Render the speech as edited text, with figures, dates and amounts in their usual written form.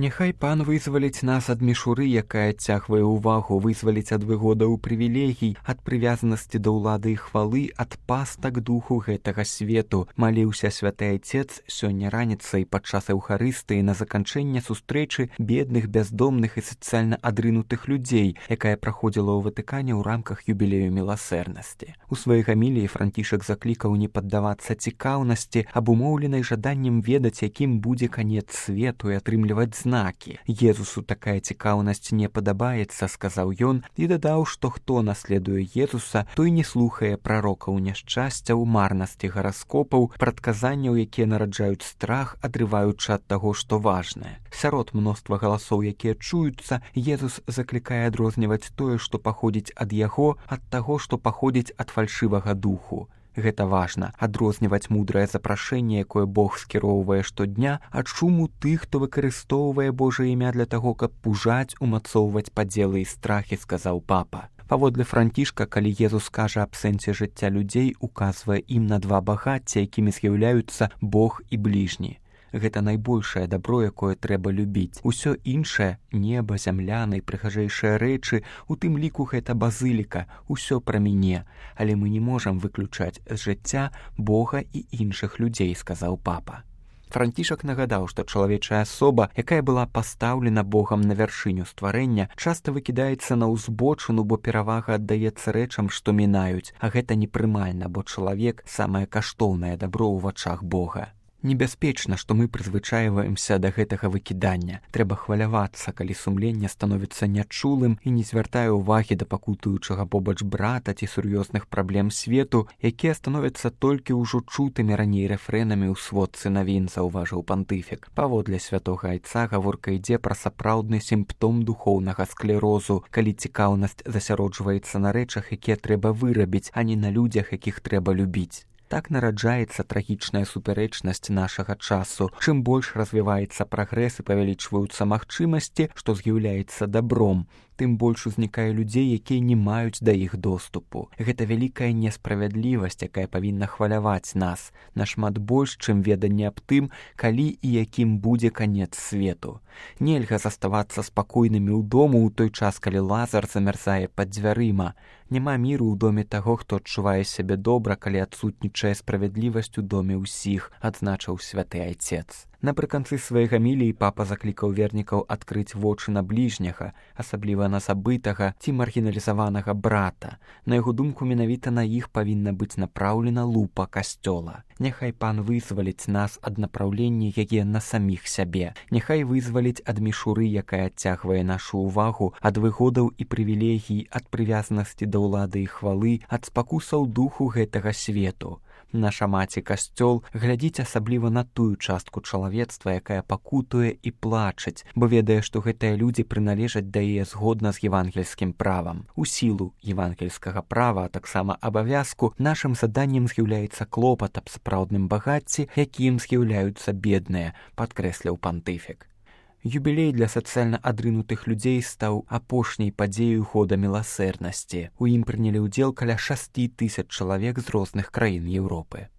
Няхай пан вызваліць нас ад мішуры, якая адцягвае ўвагу, вызваліць ад выгодаў прывілегій, ад прывязанасці да ўлады і хвалы, ад пастак духу гэтага свету. Маліўся святы айцец сёння раніцай падчас эўхарыстыі на заканчэнне сустрэчы бедных, бяздомных і сацыяльна адрынутых людзей, якая праходзіла ў Ватыкане ў рамках юбілею міласэрнасці. У сваёй гаміліі Францішак заклікаў не паддавацца цікаўнасці, абумоўленай жаданнем ведаць, якім будзе канец свету і атрымліваць знакі. Езусу такая цікаўнасць не падабаецца, сказаў ён, і дадаў, што хто наследуе Езуса, той не слухае прарокаў няшчасцяў, марнасці гараскопаў, прадказанняў, якія нараджаюць страх, адрываючы ад таго, што важнае. Сярод мноства галасоў, якія чуюцца, Езус заклікае адрозніваць тое, што паходзіць ад яго, ад таго, што паходзіць ад фальшывага духу. Гэта важна, адрозніваць мудрае запрашэнне, якое Бог скіроўвае штодня, ад шуму тых, хто выкарыстоўвае Божае імя для таго, каб пужаць, умацоўваць падзелы і страхі, сказаў папа. Паводле Францішка, калі Езус кажа аб сэнсе жыцця людзей, указвае ім на два багацця, якімі з'яўляюцца Бог і бліжні. Гэта найбольшае дабро, якое трэба любіць. Усё іншае, неба, зямля, найпрыгажэйшыя рэчы, у тым ліку гэта базыліка, усё пра мяне. Але мы не можам выключаць з жыцця Бога і іншых людзей, сказаў папа. Францішак нагадаў, што чалавечая асоба, якая была пастаўлена Богам на вяршыню стварэння, часта выкідаецца на ўзбочыну, бо перавага аддаецца рэчам, што мінаюць, а гэта непрымальна, бо чалавек самае каштоўнае дабро ў вачах Бога. Небяспечна, што мы прызвычайваемся да гэтага выкідання. Трэба хвалявацца, калі сумленне становіцца нячулым і не звяртае ўвагі да пакутуючага побач брата ці сур'ёзных праблем свету, якія становяцца толькі ўжо чутымі раней рэфрэнамі ў сводцы навін, заўважыў пантыфік. Паводле святога айца гаворка ідзе пра сапраўдны сімптом духоўнага склерозу, калі цікаўнасць засяроджваецца на рэчах, якія трэба вырабіць, а не на людзях, якіх трэба любіць. Так нараджаецца трагічная супярэчнасць нашага часу. Чым больш развіваецца прагрэс і павялічваюцца магчымасці, што з'яўляецца дабром, тым больш узнікае людзей, якія не маюць да іх доступу. Гэта вялікая несправядлівасць, якая павінна хваляваць нас, нашмат больш, чым веданне аб тым, калі і якім будзе канец свету. Нельга заставацца спакойнымі ў дому ў той час, калі Лазар замярзае пад дзвярыма. Няма міру ў доме таго, хто адчувае сябе добра, калі адсутнічае справядлівасць у доме ўсіх, адзначыў святы айцец. Напрыканцы сваёй гаміліі папа заклікаў вернікаў адкрыць вочы на бліжняга, асабліва на забытага ці маргіналізаванага брата. На яго думку, менавіта на іх павінна быць напраўлена лупа касцёла. Няхай пан вызваліць нас ад напраўлення яе на саміх сябе. Няхай вызваліць ад мішуры, якая адцягвае нашу ўвагу, ад выгодаў і прывілегій, ад прывязанасці да ўлады і хвалы, ад спакусаў духу гэтага свету. Наша маці касцёл глядзіць асабліва на тую частку чалавецтва, якая пакутуе і плачаць, бо ведае, што гэтыя людзі прыналежаць да яе згодна з евангельскім правам. У сілу евангельскага права, а таксама абавязку, нашым заданнем з'яўляецца клопат аб сапраўдным багацці, якім з'яўляюцца бедныя, падкрэсліў пантыфік. Юбілей для сацыяльна адрынутых людзей стаў апошняй падзеяй года міласэрнасці. У ім прынялі ўдзел каля 6 000 чалавек з розных краін Еўропы.